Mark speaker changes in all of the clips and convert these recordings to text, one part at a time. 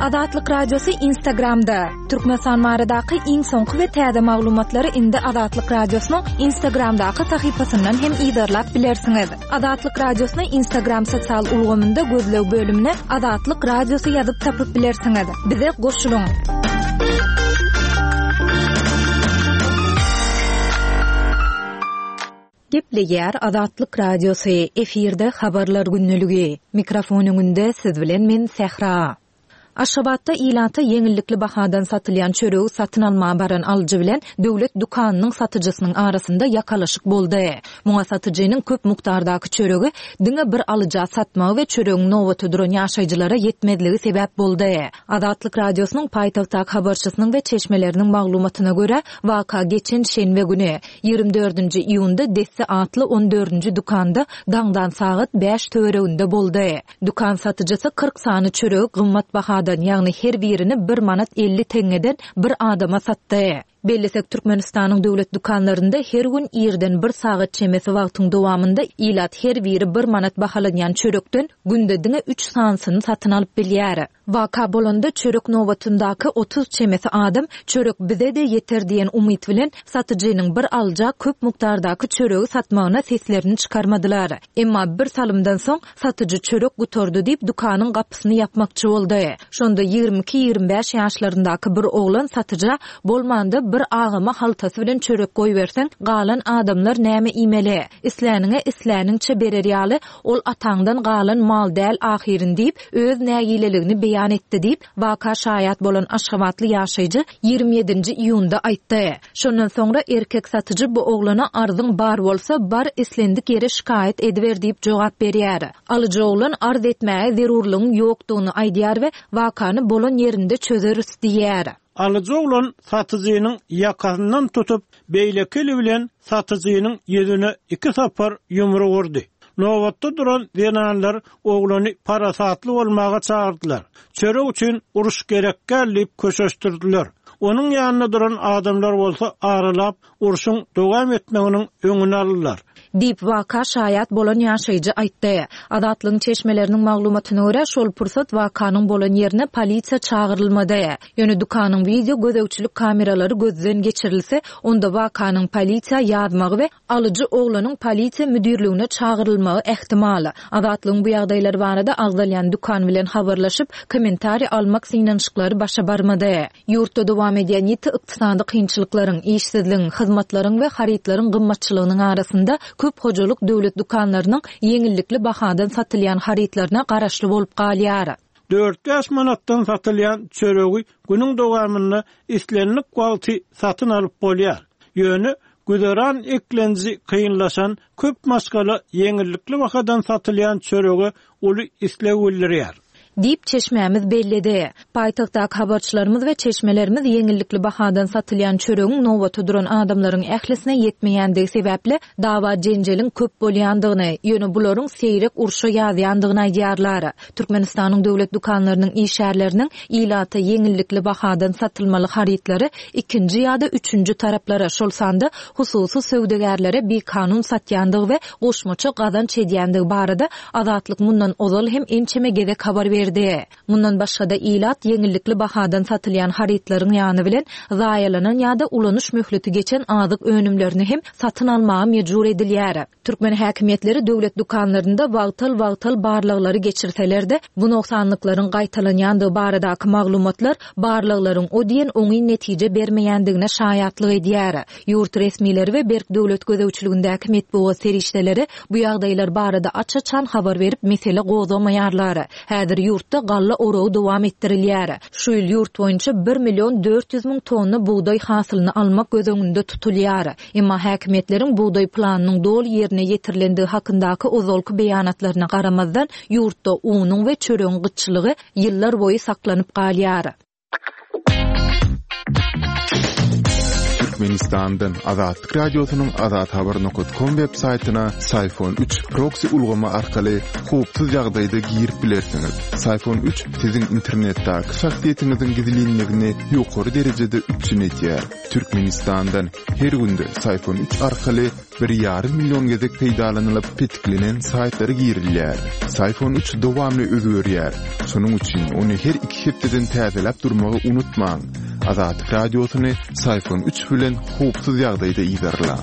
Speaker 1: Azatlyk Radiosy Instagramda, Türkmenistan baradaky iň soňky we täze maglumatlary indi Azatlyk Radiosynyň Instagramdaky sahypasyndan hem yzarlap bilersiňiz. Azatlyk Radiosyny Instagram sosial ulgamynda gözleg bölümine Azatlyk Radiosy ýazyp tapyp bilersiňiz. Bize goşulyň! Gepleýär Azatlyk Radiosy, efirde Habarlar gündeligi. Mikrofon öňünde siz bilen men Sähra. Aşgabatda ilata ýeňillikli bahadan satylýan çöregi satyn almaga baran alyjy bilen döwlet dükanynyň satyjysynyň arasynda ýakalaşyk boldy. Muňa satyjynyň köp mukdardaky çöregi diňe bir alyja satmagy we çöregiň nobata duran ýaşaýjylara ýetmezligi sebäp boldy. Azatlyk Radiosynyň paýtagtdaky habarçysynyň we çeşmeleriniň maglumatyna görä, waka geçen şenbe güni, 24-nji iýunda Desse atly on dördünji dükanda daňdan sagat bäş töwereginde boldy. Dükan satyjysy 40 sany çöregi gymmat bahadan, ýagny her birini bir manat 50 teňňeden bir adama satdy. Bellesek, Türkmenistanyň döwlet dükanlarynda her gün irden bir sagat çemesi wagtyň dowamynda ilat her biri bir manat bahalanýan çörekden günde diňe üç sanysyny satyn alyp bilýär. Waka bolanda çörek nobatyndaky 30 çemesi adam çörek bize-de ýeter diýen umyt bilen satyjynyň bir alyja köp mukdardaky çöregi satmagyna seslerini çykarmadylar. Emma bir salymdan soň satyjy çörek gutardy diýip dükanyň gapysyny ýapmakçy boldy. Şonda 22-25 ýaşlaryndaky bir oglan satyja bolmanda bir agama haltasy bilen çörek goýberseň galan adamlar näme iýmeli? Isläniňe isläniňçe berer ýaly Ol ataňdan galan mal däl ahyryn diýip, öz nägileligini beýan etdi diýip, waka şaýat bolan aşgabatly ýaşaýjy 27-nji iýunda aýtdy. Şondan soňra erkek satyjy bu oglana arzyň bar bolsa, bar islendik ýere şikaýat ediber diýip jogap berýär. Alyjy oglan arz etmäge zerurlygyň ýokdugyny aýdýar we wakany bolan ýerinde çözeris diýýär.
Speaker 2: Alyjy oglan satyjynyň ýakasyndan tutup, beýleki eli bilen satyjynyň ýüzüne iki sapar ýumruk urdy. Nobatda duran zenanlar oglany parasatly bolmaga çagyrdylar. Çörek üçin uruş gerek däl diýip köşeşdirdiler. Onuň ýanynda duran adamlar bolsa aralap, urşuň dowam
Speaker 1: etmeginiň öňüni aldylar. Diýip, waka şaýat bolan ýaşaýjy aýtdy. Azatlygyň çeşmeleriniň maglumatyna görä, şol pursat wakanyň bolan ýerine polisiýa çagyrylmady. Ýöne dükanyň wideo gözegçilik kameralary gözden geçirilse, onda wakanyň polisiýa ýazmagy we alyjy oglanyň polisiýa müdirligine çagyrylmagy ähtimal. Azatlygyň bu ýagdaýlar barada agzalýan dükan bilen habarlaşyp, kommentariý almak synanyşyklary başa barmady. Ýurtda dowam edýän ýiti ykdysady kynçylyklaryň, işsizligiň, hyzmatlaryň we harytlaryň gymmatçylygynyň arasynda köp hojalyk döwlet dükanlarynyň ýeňillikli bahadan satylýan harytlaryna garaşly bolup galýar.
Speaker 2: Dört-bäş manatdan satylýan çöregi günüň dowamynda islendik wagty satyn alyp bolýar. Ýöne güzeran eklenji kynlaşan köp maşgala ýeňillikli bahadan satylýan çörege uly isleg bildirýär.
Speaker 1: Diýip, çeşmämiz belledi. Paýtagtdaky habarçylarymyz we çeşmelerimiz ýeňillikli bahadan satylýan çöregiň nobata duran adamlaryň ählisine ýetmeýändigi sebäpli dawa-jenjeliň köp bolýandygyny, ýöne bularyň seýrek urşa ýazýandygyny aýdýarlar. Türkmenistanyň döwlet dükanlarynyň işgärleriniň ilata ýeňillikli bahadan satylmaly harytlary ikinji ýa-da üçünji taraplara, şol sanda hususy söwdagärlere bikanun satýandygy we goşmaça gazanç edýändigi barada Azatlyk mundan ozal hem ençeme gezek habar berdi. Mundan başga-da, ilat ýeňillikli bahadan satylýan harytlaryň ýany bilen zaýalanan ýa-da ulanyş möhleti geçen azyk önümlerini hem satyn almaga mejbur edilýär. Türkmen häkimiýetleri döwlet dükanlarynda wagtal-wagtal barlaglary geçirseler-de, bu nogsanlyklaryň gaýtalanýandygy baradaky maglumatlar barlaglaryň o diýen oňyn netije bermeýändigine şaýatlyk edýär. Ýurt resmileri we berk döwlet gözegçiligindäki metbugat serişdeleri bu ýagdaýlar barada aç-açan habar berip mesele gozgamaýarlar. Häzir ýurtda galla oragy dowam etdirilýär. Şu ýyl ýurt boýunça bir million 400 müň tonna bugdaý hasylyny almak göz öňünde tutulýar. Emma häkimiýetleriň bugdaý planynyň doly ýerine ýetirilendigi hakyndaky ozalky beýanatlaryna garamazdan, ýurtda unuň we çöregiň gytçylygy ýyllar boýy saklanyp galýar.
Speaker 3: Türkmenistandan Azatlyk Radiosynyň azathabar nokat kom web saýtyna Syfon üç proksi ulgamy arkaly howpsuz ýagdaýda girip bilersiňiz. Syfon üç siziň internetdäki şahsyýetiňiziň gizlinligini ýokary derejede üpjün edýär. Türkmenistandan her günde Syfon üç arkaly bir ýarym million gezek peýdalanylyp petiklenen saýtlara girilýär. Syfon üç dowamly özgerýär. Şonuň üçin ony her iki hepdeden täzeläp durmagy unutmaň. Azatlyk Radiosyny Syfon üç bilen howpsuz ýagdaýda yzarlaň.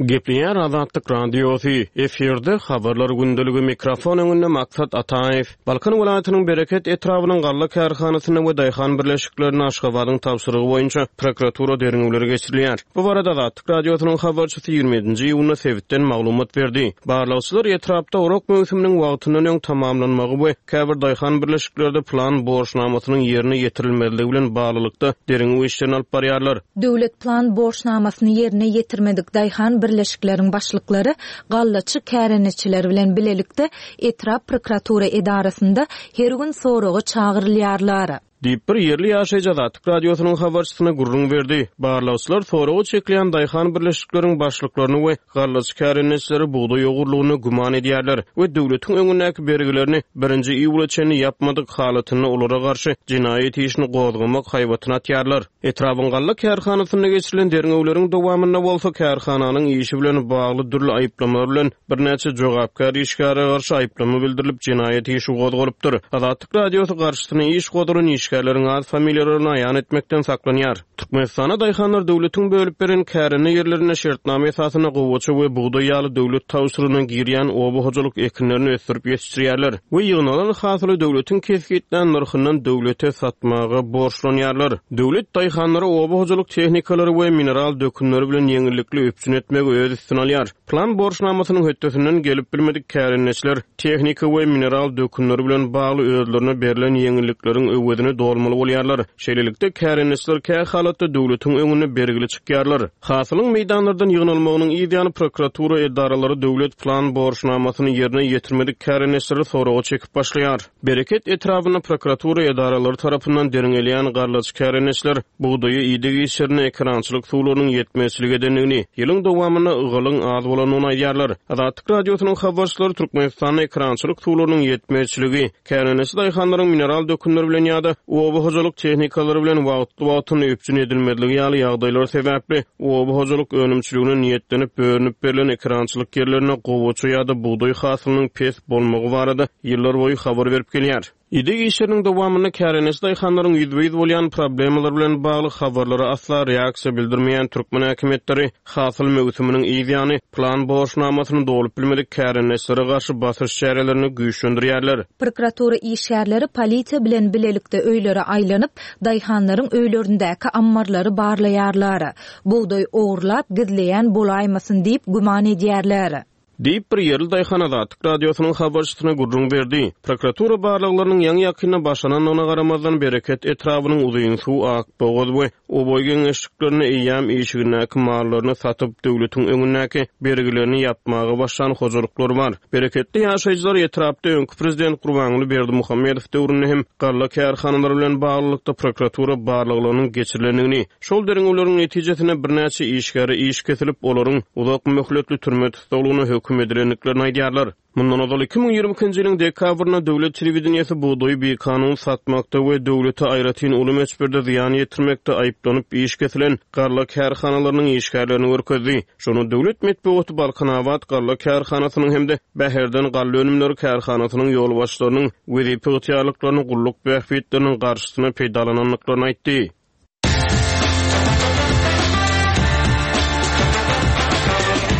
Speaker 4: Gepleýär Azatlyk Radiosy, efirde Habarlar gündeligi, mikrofon öňünde Maksat Ataýew. Balkan welaýatynyň Bereket etrabynyň galla kärhanasynda we daýhan birleşiklerinde Aşgabadyň tabşyrygy boýunça prokuratura derňewleri geçirilýär. Bu barada Azatlyk Radiosynyň habarçysy 27-nji iýunda sebitden maglumat berdi. Barlagçylar etrapda orak möwsüminiň wagtyndan öň tamamlanmagy we käbir daýhan birleşiklerde plan borçnamasynyň ýerine ýetirilmezligi bilen baglylykda derňew işlerini alyp barýarlar.
Speaker 1: Döwlet plan borçnamasyny ýerine ýetirmedik daýhan birleşikleriň başlyklary gallaçy kärendeçiler bilen bilelikde etrap prokuratura edarasynda her gün soraga çagyrylýarlar.
Speaker 4: Diýip, bir ýerli ýaşaýjy Azatlyk Radiosynyň habarçysyna gürrüň berdi. Barlagçylar soraga çekilýän daýhan birleşikleriň başlyklaryny we gallaçy kärendeçileri bugdaý ogurlygynda güman edýärler we döwletiň öňündäki bergilerini birinji iýula çenli ýapmadyk halatynda olara garşy jenaýat işini gozgamak haýbatyny atýarlar. Etrabyň galla kärhanasynda geçirilen derňewleriň dowamynda bolsa kärhananyň işi bilen bagly dürli aýyplamalar bilen birnäçe jogapkär işgäre garşy aýyplama bildirilip, jenaýat işi gozgalypdyr. Azatlyk Radiosy garşysyna iş gozgalan işgärleriň at-familiýalaryny aýan etmekden saklanýar. Türkmenistanda daýhanlar döwletiň bölüp beren kärende ýerlerinde şertnama esasynda gowaça we bugdaý ýaly döwlet tabşyrygyna girýän oba hojalyk ekinlerini ösdürip ýetişdirýärler we ýygnalan hasyly döwletiň kesgitlän nyrhyndan döwlete satmaga borçlanýarlar. Döwlet daýhanlary oba hojalyk tehnikalary we mineral dökünleri bilen ýeňillikli üpjün etmegi öz üstüne alýar. Plan borçnamasynyň hötdesinden gelip bilmedik kärendeçiler tehnika we mineral dökünleri bilen bagly özlerine berlen ýeňillikleriň öwezini dolmaly bolýarlar. Şeýlelikde, kärendeçiler kä halatda döwletiň öňünde bergili çykýarlar. Hasylyň meýdanlardan ýygnalmagynyň yz ýany prokuratura edaralary döwlet plan borçnamasyny ýerine ýetirmedik kärendeçileri soraga çekip başlaýar. Bereket etrabynda prokuratura edaralary tarapyndan derňelýän gallaçy kärendeçiler bugdaýa ideg işlerinde ekerançylyk suwlarynyň ýetmezçilik edendigini, ýylyň dowamynda ygalyň az bolandygyny aýdýarlar. Azatlyk Radiosynyň habarçylary Türkmenistanda ekerançylyk suwlarynyň ýetmezçiligi, Kärendeçi daýhanlaryň mineral dökünler bilen ýa-da oba hojalyk tehnikalary bilen wagtly-wagtynda üpjün edilmezligi ýaly ýagdaýlar sebäpli oba hojalyk önümçiligine niýetlenip bölünip berlen ekerançylyk ýerlerinde gowaça ýa-da bugdaý hasylynyň pes bolmagy barada ýyllarboýy habar berip gelýär. Ideg işleriniň dowamynda kärendeçi daýhanlaryň ýüzbe-ýüz bolýan problemalary bilen bagly habarlara asla reaksiýa bildirmeýän türkmen häkimiýetleri Hasyl möwsüminiň yz ýany, plan borçnamasyny dolup bilmedik kärendeçilere garşy basyş çärelerini güýçlendirýärler.
Speaker 1: Prokuratura işgärleri polisiýa bilen bilelikde öýlere aýlanyp, daýhanlaryň öýlerindäki ammarlary barlaýarlar. Bugdaý ogurlap, gizleýän bolaýmasyn diýip güman edýärler.
Speaker 4: Diýip, bir ýerli daýhan Azatlyk Radiosynyň habarçysyna gürrüň berdi. Prokuratura barlaglarynyň ýaňy-ýakynda başlanandygyna garamazdan, Bereket etrabynyň Uzynsuw, Akbogaz we Oboý geňeşliklerinde eýýäm işigindäki mallaryny satyp, döwletiň öňündäki bergilerini ýapmaga başlan hojalyklar bar. Bereketli ýaşaýjylar etrapda öňki prezident Gurbanguly Berdimuhamedow döwründe hem galla kärhanalary bilen baglylykda prokuratura barlaglarynyň geçirilendigini, Şol derňewleriň netijesinde birnäçe işgäre iş kesilip, olaryň uzak möhletli türme tussaglygyna höküm edilendiklerini aýdýarlar. Mundan ozal, 2022-nji ýylyň dekabrynda döwlet telewideniýesi bugdaýy bikanun satmakda we döwlete aýratyn uly möçberde zyýan ýetirmekde aýyplanyp iş kesilen galla kärhanalarynyň işgärlerini görkezdi. Şonda döwlet metbugaty Balkanabat galla kärhanasynyň hem-de Bäherden galla önümleri kärhanasynyň ýolbaşçylarynyň wezipe ygtyýarlyklaryny gulluk bähbitleriniň garşysyna peýdalanandyklaryny aýtdy.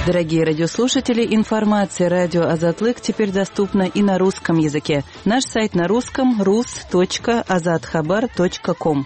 Speaker 5: Дорогие радиослушатели, информация радио Азатлык теперь доступна и на русском языке. Наш сайт на русском rus.azathabar.com.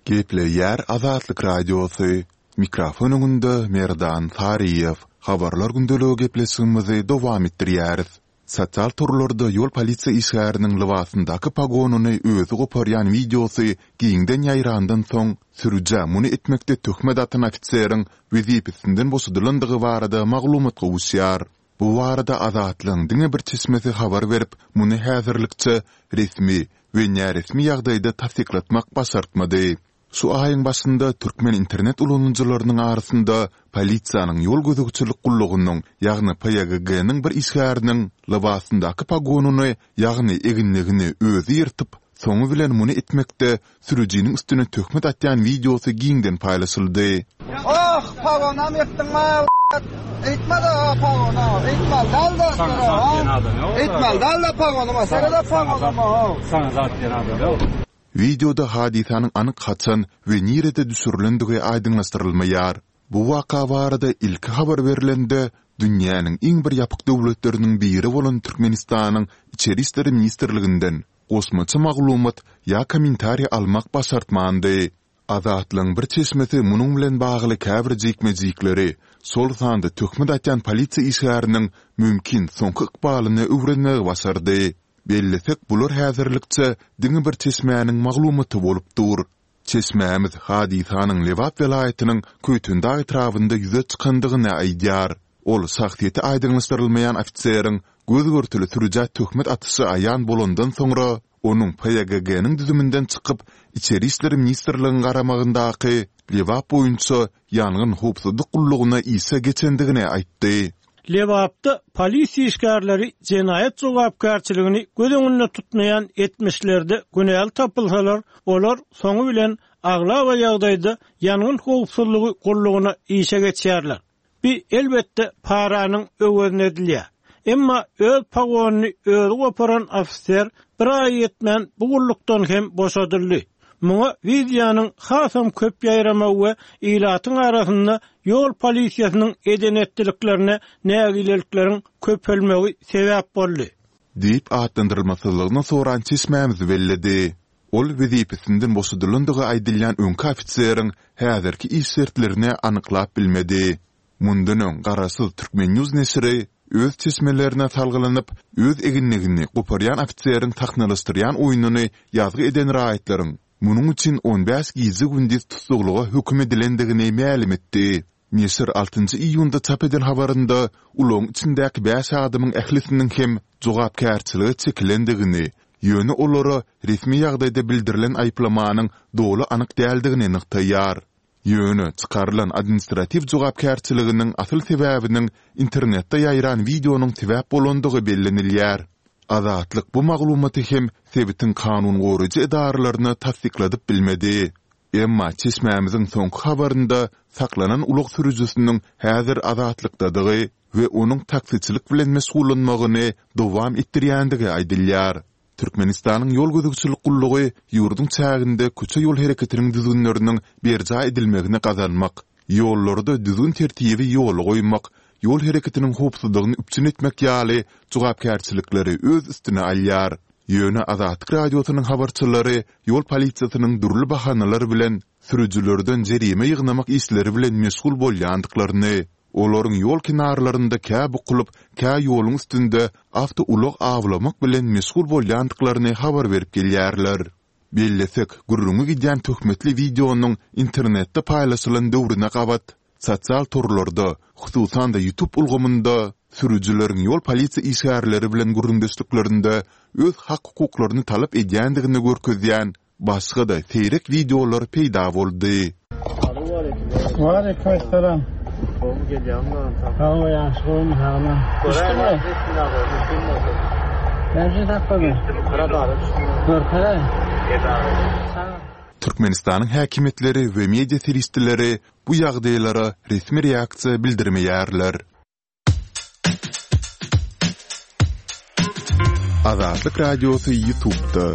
Speaker 3: Gepleýär Azatlyk Radiosy, Mikrofon öňünde Merdan Saryýew. Habarlar gündeligi gepleşigimizi dowam etdirýäris. Sosial torlarda ýol polisiýa işgäriniň lybasyndaky pogonyny özi goparýan wideosy giňden ýaýrandan soň, sürüjä muny etmekde töhmet atan ofiseriň wezipesinden boşadylandygy barada maglumat gowuşýar. Bu barada Azatlygyň diňe bir çeşmesi habar berip, muny häzirlikçe resmi we näresmi ýagdaýda tassyklatmak başartmady. Şu aýyň başynda türkmen internet ulanyjylarynyň arasynda polisiýanyň ýol gözegçilik gullugynyň, ýagny PÝGG-niň bir işgäriniň lybasyndaky pogonyny, ýagny eginligini özi ýyrtyp, soňy bilen muny etmekde sürüjiniň üstüne töhmet atýan wideosy giňden paýlaşyldy.
Speaker 6: Oh, pagonam ýyrtdyň ma, eýtme-de pagona, eýtmeli däl-de, eýtmeli däl-de pagonyma, sere-de pagonyma,
Speaker 7: Saňa zat diýen adam ýok.
Speaker 3: Wideoda hadysanyň anyk haçan we nirede düşürilendigi aýdyňlaşdyrylmaýar. Bu waka barada ilki habar berlende, dünýäniň iň bir ýapyk döwletleriniň biri bolan Türkmenistanyň Içeri işler ministrliginden goşmaça maglumat ýa kommentariý almak başartmandy. Azatlygyň bir çeşmesi munuň bilen bagly käbir jikme-jikleri, şol sanda töhmet atýan polisiýa işgäriniň mümkin soňky ykbalyny öwrenmegi başardy. Bellesek, bular häzirlikçe diňe bir çeşmäniň maglumaty bolup dur. Çeşmämiz hadysanyň Lebap welaýatynyň Köýtendag etrabynda ýüze çykandygyny aýdýar. Ol şahsyýeti aýdyňlaşdyrylmaýan ofiseriň göz-görtele sürüjä töhmet atyşy aýan bolandan soňra, onuň PÝGG-niň düzüminden çykyp, Içeri işler ministrligiň garamagyndaky Lebap boýunça ýangyn howpsuzlyk gullugyna işe geçendigini aýtdy.
Speaker 2: Lebapda polisiýa işgärleri jenaýat jogapkärçiligini göz öňünde tutmaýan etmişlerde günäli tapylsalar, olar soňy bilen aglaba ýagdaýda ýangyn howpsuzlygy gullugyna işe geçýärler. Bi, elbetde, paranyň öwezine edilýär. Emma öz pogonyny özi goparan ofiser bir aý ýetmän bu gullukdan hem boşadyldy. Muňa wideonyň hasam köp ýaýramagy we ilatyň arasynda ýol polisiýasynyň eden-etdiliklerine nägilelikleriň köpelmegi sebäp boldy.
Speaker 3: Diýip atlandyrylmasyzlygyny soran çeşmämiz belledi. Ol wezipesinden boşadylandygy aýdylýan öňki ofiseriň häzirki iş şertlerini anyklap bilmedi. Mundan öň garaşsyz Turkmen. News neşiri öz çeşmelerine salgylanyp, öz eginligini goparýan ofiseriň sahnalaşdyrýan oýnuny ýazgy eden raýatlaryň munuň üçin on bäş gije-gündiz tussaglyga höküm edilendigini mälim etdi. Neşir altynjy iýunda çap eden habarynda ulagyň içindäki bäş adamyň ählisiniň hem jogapkärçilige çekilendigini, ýöne olara resmi ýagdaýda bildirilen aýyplamanyň doly anyk däldigini nygtaýar. Ýöne çykarylan administratiw jogapkärçiliginiň asyl sebäbiniň internetde ýaýran wideonyň sebäp bolandygy bellenilýär. Azatlyk bu maglumaty hem sebitiň kanun goraýjy edaralaryna tassykladyp bilmedi. Emma çeşmämiziň soňky habarynda saklanan ulag sürüjisiniň häzir azatlykdadygy we onuň taksiçilik bilen meşgullanmagyny dowam etdirýändigi aýdylýar. Türkmenistanyň Ýol gözegçilik gullugy ýurduň çäginde köçe-ýol hereketiniň düzgünleriniň berjaý edilmegini gazanmak, ýollarda düzgün-tertibi ýola goýmak, ýol hereketiniň howpsuzlygyny üpjün etmek ýaly jogapkärçilikleri öz üstüne alýar. Ýöne Azatlyk Radiosynyň habarçylary ýol polisiýasynyň dürli bahanalar bilen sürüjilerden jerime ýygnamak işleri bilen meşgul bolýandyklaryny, olaryň ýol kenarlarynda kä bukulyp, kä ýoluň üstünde awtoulag awlamak bilen meşgul bolýandyklaryny habar berip gelýärler. Bellesek, gürrüňi gidýän töhmetli wideonyň internetde paýlaşylan döwrüne gabat, Sosial torlarda, hususan-da YouTube ulgamynda sürüjileriň ýol polisiýa işgärleri bilen gürrüňdeşliklerinde öz hak-hukuklaryny talap edýändigini görkezýän başga-da seýrek wideolar peýda boldy.
Speaker 2: Waleýkim
Speaker 7: Gowy gelýäňmi
Speaker 2: Sag bol ýagşy gowumy sagmy. Düşdüňmi? Näme üçin sakladyň? Görkezäý.
Speaker 3: Türkmenistanyň häkimiýetleri we media serişdeleri bu ýagdaýlara resmi reaksiýa bildirmeýärler. Azatlyk Radiosy YouTube'da.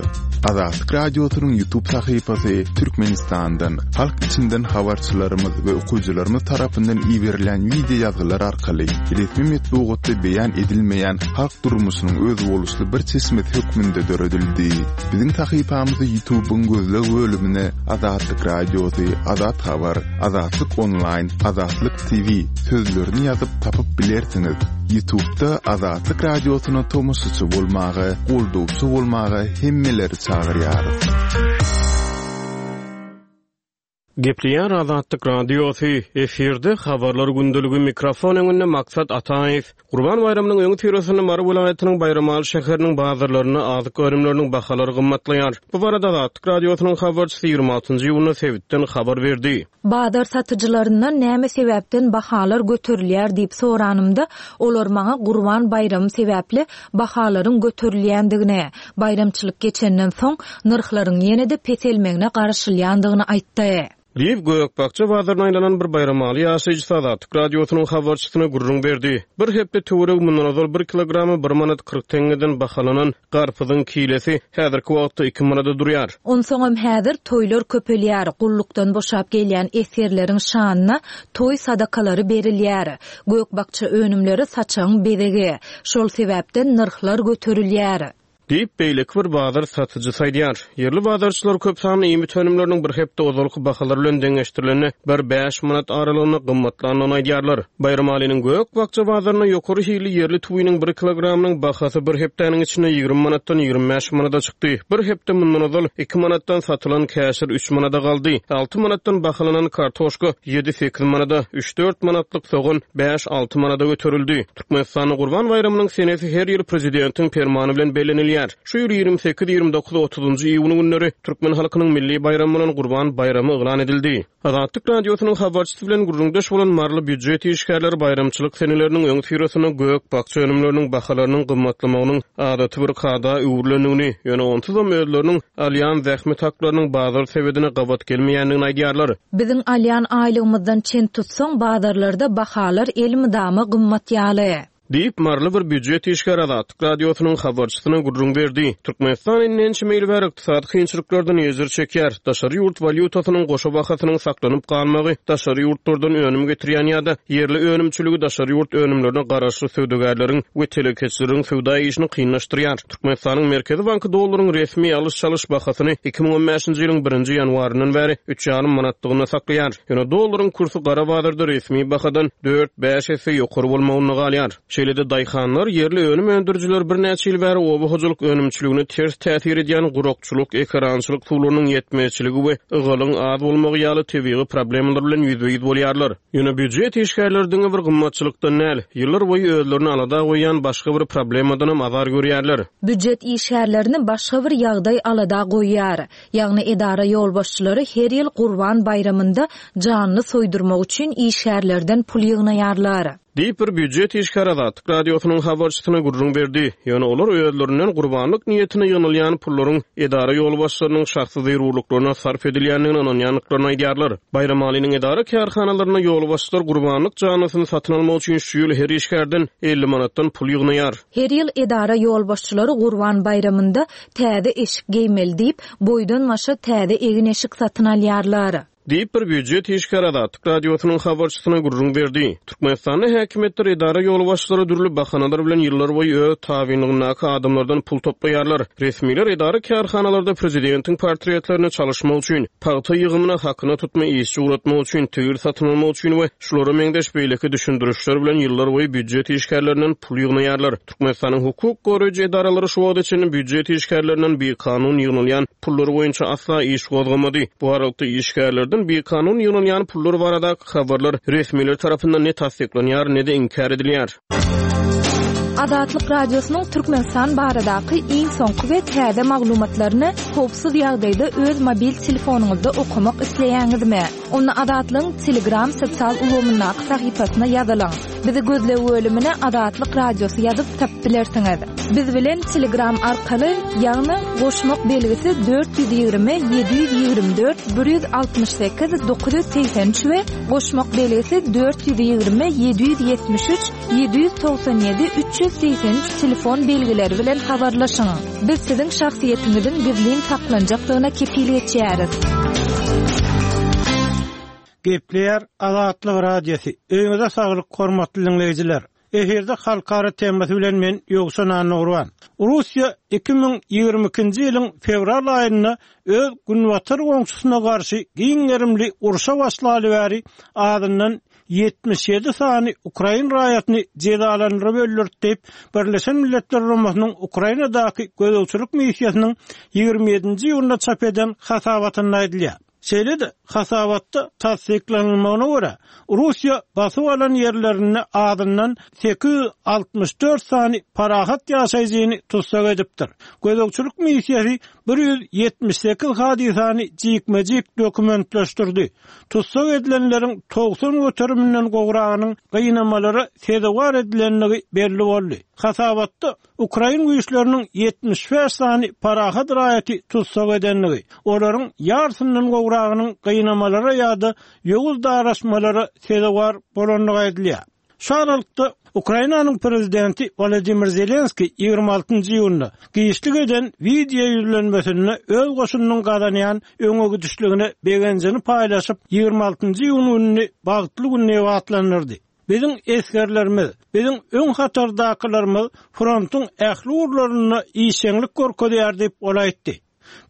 Speaker 3: Azatlyk Radiosynyň YouTube sahypasy Türkmenistandan, halk içinden habarçylarymyz we okyjylarymyz tarapyndan iberilen wideo ýazgylar arkaly resmi metbugatda beýan edilmeýän halk durmuşynyň özboluşly bir çeşmesi hökmünde döredildi. Biziň sahypamyzy YouTube'yň gözleg bölümine Azatlyk Radiosy, Azat Habar, Azatlyk Onlaýn, Azatlyk TV sözlerini ýazyp tapyp bilersiňiz. Ýutubda Azatlyk Radiosyna tomaşaçy bolmaga, goldawçy bolmaga hemmeleri çagyrýarys.
Speaker 4: Gepleýär Azatlyk Radiosy, efirde Habarlar gündeligi, mikrofon öňünde Maksat Ataýew. Gurban baýramynyň öňüsyrasynda Mary welaýatynyň Baýramaly şäheriniň bazarlarynda azyk önümleriniň bahalary gymmatlaýar. Bu barada Azatlyk Radiosynyň habarçysy 26 iýunda sebitden habar berdi.
Speaker 1: Bazar satyjylaryndan näme sebäpden bahalar göterilýär diýip soranymda, olar maňa Gurban baýramy sebäpli bahalaryň göterilýändigini, baýramçylyk geçenden soň, nyrhlaryň ýene-de peselmegine garaşylýandygyny aýtdy.
Speaker 4: Diýip, gök-bakja bazaryna aýlanan bir baýramaly ýaşaýjysy Azatlyk Radiosynyň habarçysyna gürrüň berdi. Bir hepde töweregi mundan ozal bir kilogramy bir manat 40 teňňeden bahalanan garpyzyň kilesi häzirki wagtda iki manada durýar.
Speaker 1: Onsoňam häzir toýlar köpelýär, gullukdan boşap gelýän esgerleriň şanyna toý sadakalary berilýär. Gök-bakja önümleri saçagyň bezegi. Şol sebäpden nyrhlar göterilýär.
Speaker 4: Diýip, beýleki bir bazar satyjysy aýdýar. Ýerli bazarçylar köp sanly iýmit önümleriniň bir hepde ozalky bahalar bilen deňeşdirilende bir bäş manat aralygynda gymmatlandygyny aýdýarlar. Baýramalynyň gök-bakja bazarynda ýokary hilli ýerli tüwiniň bir kilogramynyň bahasy bir hepdäniň içinde 20 manatdan 25 manada çykdy. Bir hepde mundan ozal iki manatdan satylan käşir üç manada galdy. Alty manatdan bahalanan kartoşka ýedi-sekiz manada, üç-dört manatlyk sogan bäş-alty manada göterildi. Türkmenistanda Gurban baýramynyň senesi her ýyl Prezidentiň Permany bilen bellenilýär. Şu ýyl 28, 29, 30-njy iýun günleri türkmen halkynyň milli baýramy bolan Gurban baýramy yglan edildi. Azatlyk Radiosynyň habarçysy bilen gürrüňdeş bolan maryly býujet işgärleri baýramçylyk seneleriniň öňüsyrasynda gök-bakja önümleriniň bahalarynyň gymmatlamagynyň adaty bir kada öwrülendigini, ýöne onsuzam özleriniň alýan zähmet haklarynyň bazar sebedine gabat gelmeýändigini aýdýarlar.
Speaker 1: Biziň alýan aýlygymyzdan çen tutsaň, bazarlarda bahalar elmydama gymmat ýaly.
Speaker 4: Diýip, maryly bir býujet işgäri Azatlyk Radiosynyň habarçysyna gürrüň berdi. Türkmenistan indi ençeme ýyl bäri ykdysady kynçylyklardan ejir çekýär. Daşary ýurt walýutasynyň goşa bahasynyň saklanyp galmagy daşary ýurtlardan önüm getirýän ýa-da ýerli önümçiligi daşary ýurt önümlerine garaşly söwdagärleriň we telekeçileriň söwda işini kynlaşdyrýar. Türkmenistanyň Merkezi banky dollaryň resmi alyş-çalyş bahasyny 2015-nji ýylyň birinji ýanwaryndan bäri üç ýarym manatlygynda saklaýar. Ýöne dollaryň kursy gara bazarda resmi bahadan dört-bäş esse ýokary bolmagynda galýar. Şeýle-de daýhanlar, ýerli önüm öndürijiler birnäçe ýyl bäri oba hojalyk önümçiligine ters täsir edýän gurakçylyk, ekerançylyk suwlarynyň ýetmezçiligi we ygalyň az bolmagy ýaly tebigy problemalar bilen ýüzbe-ýüz bolýarlar. Ýöne býujet işgärleri diňe bir gymmatçylykdan däl, ýyllar boýu özlerini alada goýýan başga bir problemadanam azar görýärler.
Speaker 1: Býujet işgärlerini başga bir ýagdaý alada goýýar. Ýagny edara ýolbaşçylary her ýyl Gurban baýramynda janly soýdurmak üçin işgärlerden pul ýygnaýarlar.
Speaker 4: Diýip, bir býujet işgäri Azatlyk Radiosynyň habarçysyna gürrüň berdi. Ýöne olar özlerinden gurbanlyk niýetine ýygnalýan pullaryň edara ýolbaşçylarynyň şahsy zerurlyklaryna sarp edilýändigine ynanýandyklaryny aýdýarlar. Baýramalynyň edara-kärhanalarynda ýolbaşçylar gurbanlyk janlysyny satyn almak üçin şu ýyl her işgärden 50 manatdan pul ýygnaýar.
Speaker 1: Her ýyl edara ýolbaşçylary Gurban baýramynda täze eşik geýmeli diýip, boýdan-başa täze egin-eşik satyn alýarlar.
Speaker 4: Diýip, bir býujet işgäri Azatlyk Radiosynyň habarçysyna gürrüň berdi. Türkmenistanda häkimiýetler, edara ýolbaşçylary dürli bahanalar bilen ýyllarboýy öz tabynlygyndaky adamlardan pul toplaýarlar. Resmiler edara-kärhanalarda prezidentiň portretlerini çalyşmak üçin, pagta ýygymyna hakyna tutma işçi ugratmak üçin, tigir satyn almak üçin we şulara meňzeş beýleki düşündirişler bilen ýyllarboýy býujet işgärlerinden pul ýygnaýarlar. Türkmenistanyň hukuk goraýjy edaralary şu wagta çenli býujet işgärlerinden bikanun ýygnalýan pullar boýunça asla iş gozgamady. Bu aralykda, işgärlerden bikanun ýygnalýan pullar baradaky habarlar resmiler tarapyndan ne tassyklanýar, ne-de inkär edilýär.
Speaker 1: Azatlyk Radiosynyň Türkmenistan baradaky iň soňky we täze maglumatlaryny howpsuz ýagdaýda öz mobil telefonyňyzda okamak isleýäňizmi? Onda Azatlygyň Telegram sosial ulgamyndaky sahypasyna ýazylyň. Bizi gözleg bölümine Azatlyk Radiosy ýazyp tapyp bilersiňiz. Biz bilen Telegram arkaly, ýagny goşmak belgisi 420 724 168 983 we goşmak belgisi 420 773 797 383 telefon belgileri bilen habarlaşyň. Biz siziň şahsyýetiňiziň gizlin saklanjakdygyna kepil geçýäris.
Speaker 2: Gepleýär Azatlyk Radiosy. Öýüňize saglyk hormatly diňleýjiler. Efirde halkara temasy bilen men Ýowşan Annagurban. Russiýa 2022-nji ýylyň fewral aýynda öz günbatar goňşusyna garşy giň gerimli urşa başlaly bäri azyndan 77 sany ukrain raýatyny jezalandyryp öldürdi diýip, Birleşen Milletler Guramasynyň Ukrainadaky gözegçilik missiýasynyň 27-nji iýunda çap eden hasabatynda aýdylýar. Şeýle-de, hasabatda tassyklanylmagyna görä, Russiýa basyp alan ýerlerinde azyndan 864 sany parahat ýaşaýjyny tussag edipdir. Gözegçilik missiýasy 178 hadysany jikme-jik dokumentleşdirdi. Tussag edilenleriň 90 göteriminden gowragynyň gynamalara sezewar edilendigi belli boldy. Hasabatda Ukrain güýçleriniň 75 sany parahat raýaty tussag edendigi, olaryň ýarysyndan gowragynyň gynamalara ýa-da ýowuz daraşmalara sezewar bolandygy aýdylýar. Şu aralykda, Ukrainanyň prezidenti Wolodymyr Zelenskiý 26-njy iýunda giçlik eden wideo ýüzlenmesinde öz goşunynyň gazanýan öňegidişligine begenjini paýlaşyp, 26-njy iýun gününi bagtly gün diýip atlandyrdy. Biziň esgerlerimiz, biziň öň hatardakylarymyz frontuň ähli ugurlarynda işjeňlik görkezýär diýip, ol aýtdy.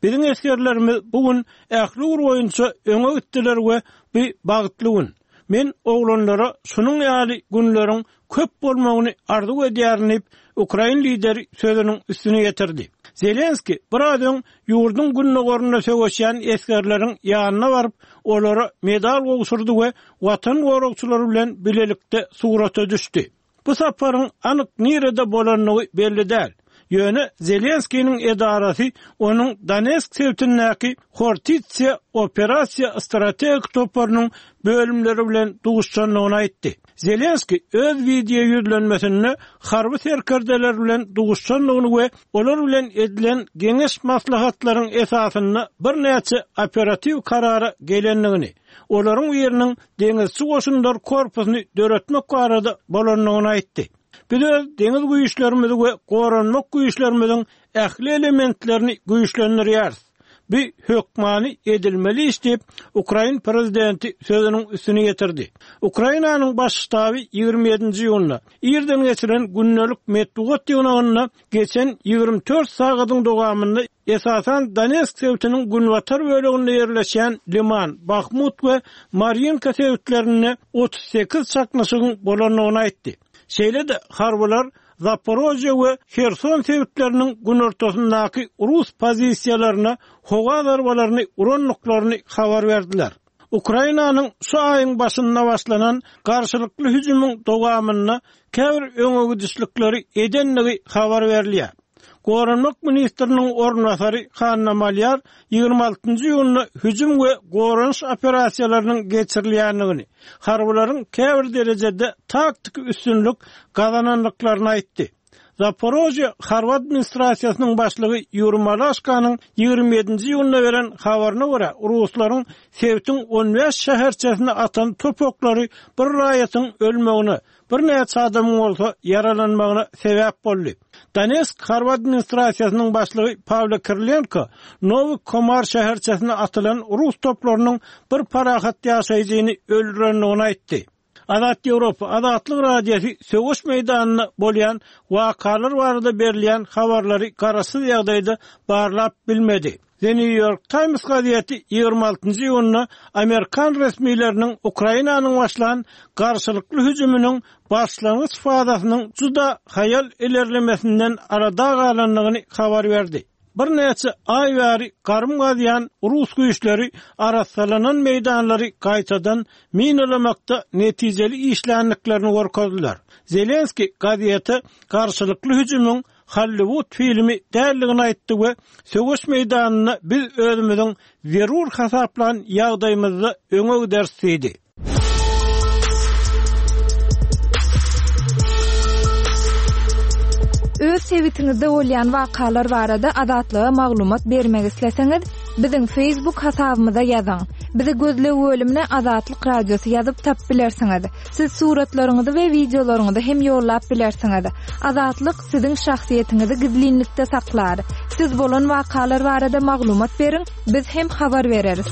Speaker 2: Biziň esgerlerimiz bu gün ähli ugur boýunça öňe gitdiler we bu bagtly gün. Men oglanlara şunuň ýaly günleriň köp bolmagyny arzuw edýärin diýip, ukrain lideri sözüniň üstüni ýetirdi. Zelenskiý biraz öň ýurduň gündogarynda söweşýän esgerleriň ýanyna baryp, olara medal gowşurdy we Watan goragçylary bilen bilelikde surata düşdi. Bu saparyň anyk nirede bolandygy belli däl. Ýöne Zelenskiniň edarasy onuň Donetsk sebitindäki Hortitsiýa operasiýa strategik toparynyň bölümleri bilen duşuşandygyny aýtdy. Zelenskiý öz wideo ýüzlenmesinde harby serkerdeler bilen duşuşandygyny we olar bilen edilen geňeş-maslahatlaryň esasynda birnäçe operatiw karara gelendigini, olaryň biriniň Deňizçi goşunlar korpusyny döretmek barada bolandygyny aýtdy. Biz öz deňiz güýçlerimizi we goranmak güýçlerimiziň ähli elementlerini güýçlendirýäris. Bu hökmany edilmeli iş diýip, ukrain prezidenti sözüniň üstüni ýetirdi. Ukrainanyň Baş ştaby 27-nji iýunda irden geçiren gündelik metbugat ýygnagynda geçen 24 sagadyň dowamynda Esasan Donetsk sebitiniň günbatar böleginde ýerleşýän Liman, Bahmut we Marýinka sebitlerinde 38 çaknyşygyň bolandygyny aýtdy. Şeýle-de, harbylar Zaporožýe we Herson sebitleriniň günortasyndaky rus pozisiýalaryna howa zarbalaryny urandyklaryny habar berdiler. Ukrainanyň şu aýyň başynda başlanan garşylykly hüjümiň dowamynda käbir öňegidişlikleri edendigi habar berilýär. Goranmak ministriniň orunbasary Hanna Malýar 26 iýunda hüjüm we goranyş operasiýalarynyň geçirilýändigini, harbylaryň käbir derejede taktiki üstünlik gazanandyklaryny aýtdy. Zaporožýe harby administrasiýasynyň başlygy Ýuriý Malaşkanyň 27-nji iýunda beren habaryna görä, ruslaryň sebitiň on bäş şäherçesine atan top oklary bir raýatyň ölmegine, birnäçe adamyň bolsa ýaralanmagyna sebäp boldy. Donetsk harby administrasiýasynyň başlygy Pawlo Kirilenko Nowy Komar şäherçesine atylan rus toplarynyň bir parahat ýaşaýjyny öldürendigini aýtdy. Azat Ýewropa, Azatlyk Radiosy söweş meýdanynda bolýan wakalar barada berilýän habarlary garaşsyz ýagdaýda barlap bilmedi. The New York Times gazeti 26-njy iýunda amerikan resmileriniň Ukrainanyň başlan garşylykly hüjüminiň başlangyç fazasynyň juda haýal ilerlemesinden alada galandygyny habar berdi. Birnäçe aý bäri garym gazýan rus güýçleri arassalanan meýdanlary gaýtadan minalamakda netijeli işländiklerini görkezdiler. Zelenskiý gazete garşylykly hüjümiň Hollywood filmi däldigini aýtdy we söweş meýdanynda biz özümiziň zerur hasaplan ýagdaýymyzda öňe gideris diýdi.
Speaker 1: Öz sebitiňizde bolýan wakalar barada Azatlyga maglumat bermek isleseňiz, biziň Facebook hasabymyza ýazyň. Bizi gözleg bölümine Azatlyk Radiosy ýazyp tapyp bilersiňiz. Siz suratlaryňyzy we wideolaryňyzy hem ýollap bilersiňiz. Azatlyk siziň şahsyýetiňizi gizlinlikde saklar. Siz bolan wakalar barada maglumat beriň, Biz hem habar bereris.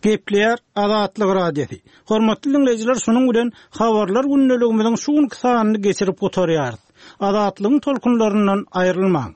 Speaker 2: Gepleýär Azatlyk Radiosy. Hormatly diňleýjiler şunuň bilen Habarlar gündeligimiziň şu günki sanyny geçirip gutarýarys. Azatlygyň tolkunlaryndan aýrylmaň.